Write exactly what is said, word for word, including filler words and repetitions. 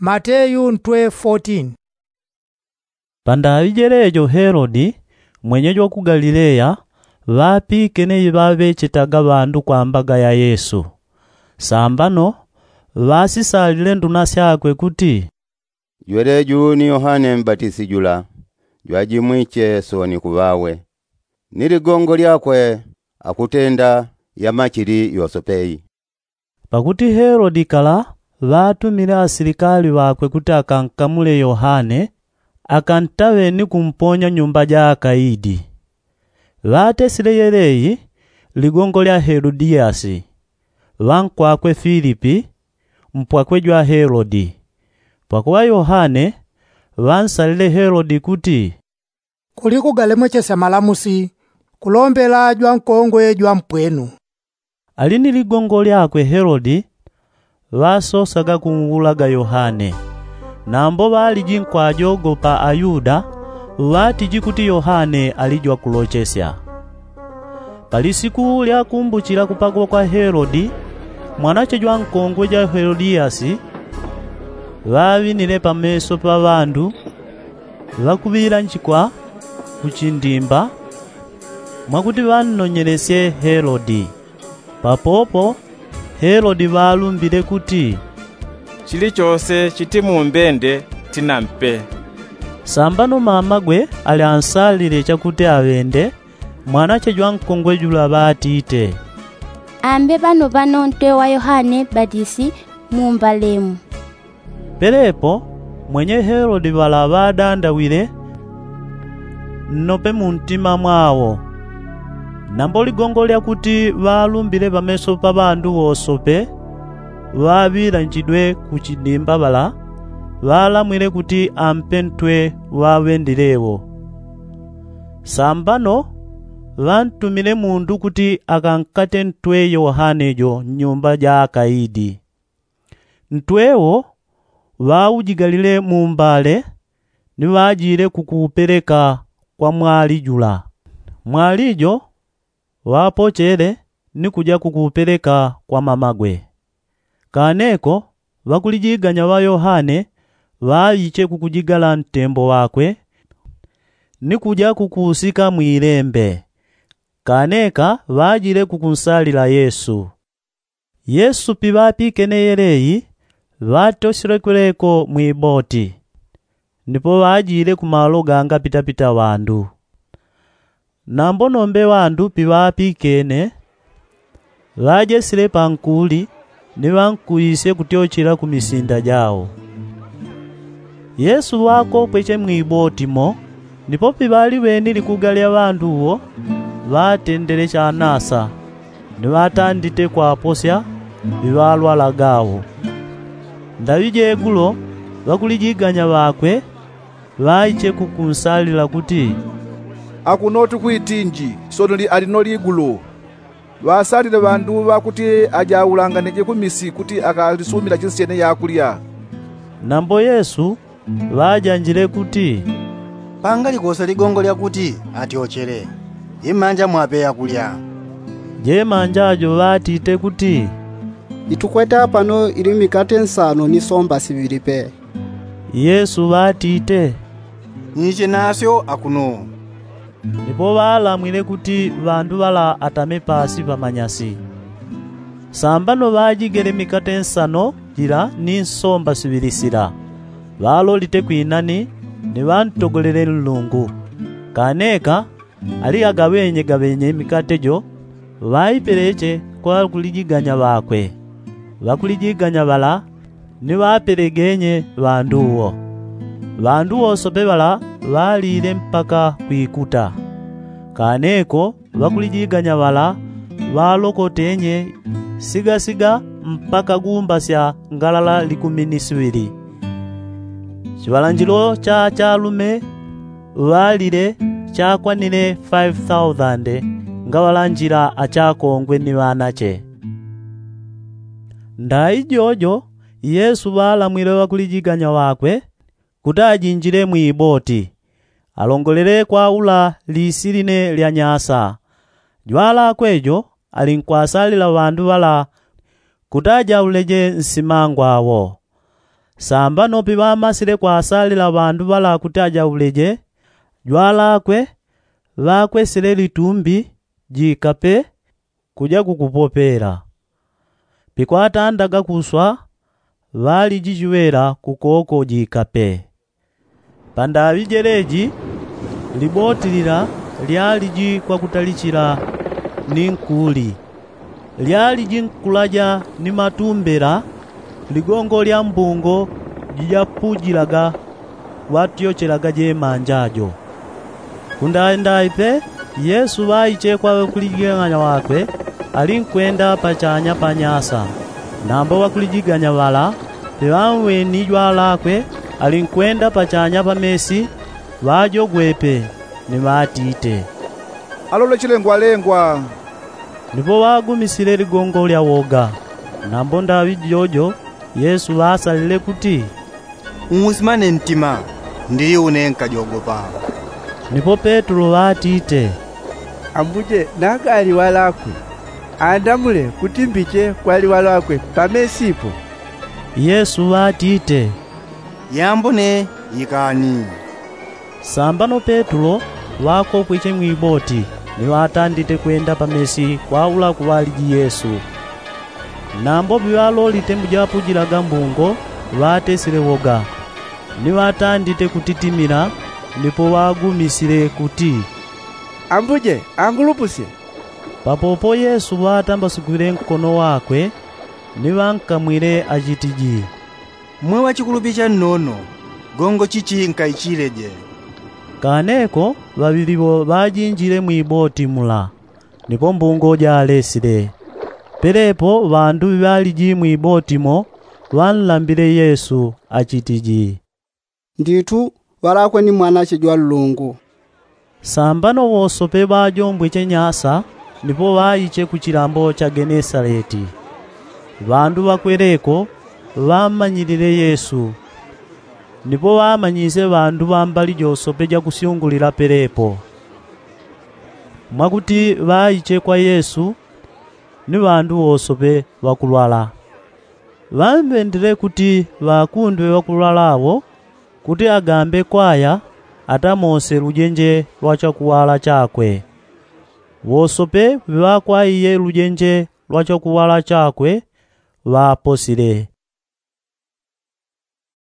Mateyu ntwe fotin. Pandaŵi jelejo helodi mwenyeji wa ku galileya ŵapikene iŵaŵechetaga ŵandu kwa mbaga ya yesu. Sambano ŵasisalile nduna syakwe kuti, jweleju ni yohane mbatisi jula, jwajimwiche sooni kuŵawe, ni ligongo lyakwe akutenda yamachili yosope. Pakuti helodi kala ŵatumile asilikali ŵakwe kuti akankamule yohane, akantaŵe ni kumponya nyumba ja akaidi. Ŵatesile yeleyi ligongo lya helodiyasi, ŵankwakwe filipi, mpwakwe jwa helodi. Pakuŵa yohane ŵansalile helodi kuti, kuli kugalemwechesya malamusi kulombela jwankongwe jwampwenu. Ali ni ligongo lyakwe helodi ŵasosaga kunwulaga yohane. Nambo ŵaliji nkwajogopa ayuda ŵatiji kuti yohane ali jwakulochesya. Palisiku lya kumbuchila kupagwa kwa helodi mwanache jwankongwe ja helodiyasi, ŵaŵinile pameso pa ŵandu ŵakuŵilanjikwa kuchindimba mwakuti ŵannonyelesye helodi. Papopo helodi ŵalumbile kuti, chilichose chitimumbende tinampe. Sambano mamagwe ali ansalile chakuti aŵende mwanache jwankongwe jula ŵatite, ambe ŵano ŵano ntwe wa yohane batisi mumbalemu. Pelepo mwenye helodi ŵala ŵadandawile nnope muntima mwawo. Nambo ligongo lyakuti ŵalumbile pameso pa ŵandu wosope ŵaŵilanjidwe kuchidimba ŵala ŵalamwile kuti ampe ntwe waŵendilewo. Sambano ŵantumile mundu kuti akankate ntwe yohane jo nnyumba ja akaidi. Ntwe wo ŵaujigalile mumbale ni ŵajile kukuupeleka kwa mwali jula. Mwali jo ŵapochele ni kuja kukuupeleka kwa mamagwe. Kane ko ŵakulijiganya ŵa yohane ŵaiche kukujigala ntembo ŵakwe ni kuja kukuusika mwilembe. Kane ka ŵajile kukunsalila yesu. Yesu piŵapikene yeleyi ŵatosyelekweleko mwiboti. Ndipo ŵajile kumalo gangapitapita ŵandu. Nambo nombe ŵandu piŵapikene ŵajesile pankuli ni ŵankuisye kutyochela ku misinda jao. Yesu ŵakopweche mwiboti mo. Ndipo piŵaliŵeni likuga lya ŵandu wo ŵatendele chanasa ni ŵatandite kwaposya ŵiŵalwalaga wo. Ndaŵi jegulo ŵakulijiganya ŵakwe ŵaiche kukunsalila kuti, akuno tukwitinji sono ali no ligulu. Ŵasalile ŵandu ŵakuti ajaulanganije kumisi kuti akalisumila chinsyene yakulya. Nambo yesu ŵajanjile kuti, pangalikose ligongo lyakuti atyochele. Imanja mwape yakulya. Jemanja jo ŵatite kuti, itukwete apano ili mikate nsano ni somba siŵili pe. Yesu ŵatite, nyiche nasyo akuno. Ndipo ŵalamwile kuti ŵandu ŵala atame pasi pamanyasi. Sambano ŵajigele mikate nsano jila ni nsomba siŵili sila ŵalolite kwinani ni ŵantogolele nlungu. Kaneka ali agaŵenyegaŵenye mikate jo ŵaipeleche kwa ŵakulijiganya ŵakwe. Ŵakulijiganya ŵala ni ŵapelegenye ŵandu wo. Ŵandu wosope ŵala ŵalile mpaka kwikuta. Kaneko ŵakulijiganya ŵala ŵalokotenye sigasiga mpaka gumba sya ngalala likumi ni siŵili. Chiŵalanjilo cha achalume ŵalile chakwanile faifi thausande ngaŵalanjila achakongwe ni ŵanache. Ndaijojo yesu ŵalamwile ŵakulijiganya ŵakwe kuti ajinjile mwiboti alongolele kwaula lisi line lya nyasa. Jwalakwe jo alinkwasalila ŵandu ŵala kuti ajauleje nsimangwa wo. Sambano piŵamasile kwasalila ŵandu ŵala kuti ajauleje, jwalakwe ŵakwesile litumbi jikape kuja kukupopela. Pikwatandaga kuswa ŵaliji jiŵela kukoko jikape. Pandaŵi jeleji liboti lila lyaliji kwakutalichila ni nkuli, lyaliji nkulaja ni matumbela ligongo lya mbungo jijapujilaga ŵatyochelaga jemanja jo. Kundaindayi pe yesu ŵaiche kwa ŵakulijigang'anya ŵakwe, alinkwenda pachanya pa nyasa. Nambo ŵakulijiganya ŵala piŵamweni jwalakwe alinkwenda pachanya pa mesi, ŵajogwepe ni ŵatite, alole chilengwalengwa. Nipo ŵagumisile ligongo lya woga. Nambo ndaŵi jojo yesu ŵasalile kuti, usimane ntima, ndili une nkajogopa. Nipo petulo ŵatite, ambuje nagali ŵalakwe, andamule kuti mbiche kwali ŵalakwe pa mesi po. Yesu ŵatite, yambo ne ikani. Sambano petulo ŵakokwiche mwiboti ni ŵatandite kwenda pa mesi kwaula kuŵaliji yesu. Nambo piŵalolite mujapujilaga mbungo ŵatesile woga, ni ŵatandite kutitimila. Nipo ŵagumisile kuti, ambuje angulupusye. Papopo yesu ŵatambasukile nkono wakwe ni ŵankamwile achitiji, mwe ŵachikulupicha nnono, gongo chichi nkaichileje. Kaneko ŵaŵili ŵo ŵajinjile mwiboti mula, nipo mbungo jalesile. Pelepo ŵandu ŵaliji mwiboti mo ŵanlambile yesu achitiji, ndithu ŵalakwe ni mwanache jwa nlungu. Sambano wosope ŵajombweche nyasa nipo ŵaiche kuchilambo cha genesaleti. Ŵandu ŵakweleko ŵammanyilile yesu, nipo ŵamanyisye ŵandu ŵa mbali josope jakusyungulila pelepo. Mwakuti ŵaiche kwa yesu ni ŵandu wosope ŵakulwala. Ŵamŵendile kuti ŵakundwe ŵakulwala awo kuti agambe kwaya atamose lujenje lwa chakuwala chakwe. Wosope ŵiŵakwaiye lujenje lwa chakuwala chakwe ŵaposile.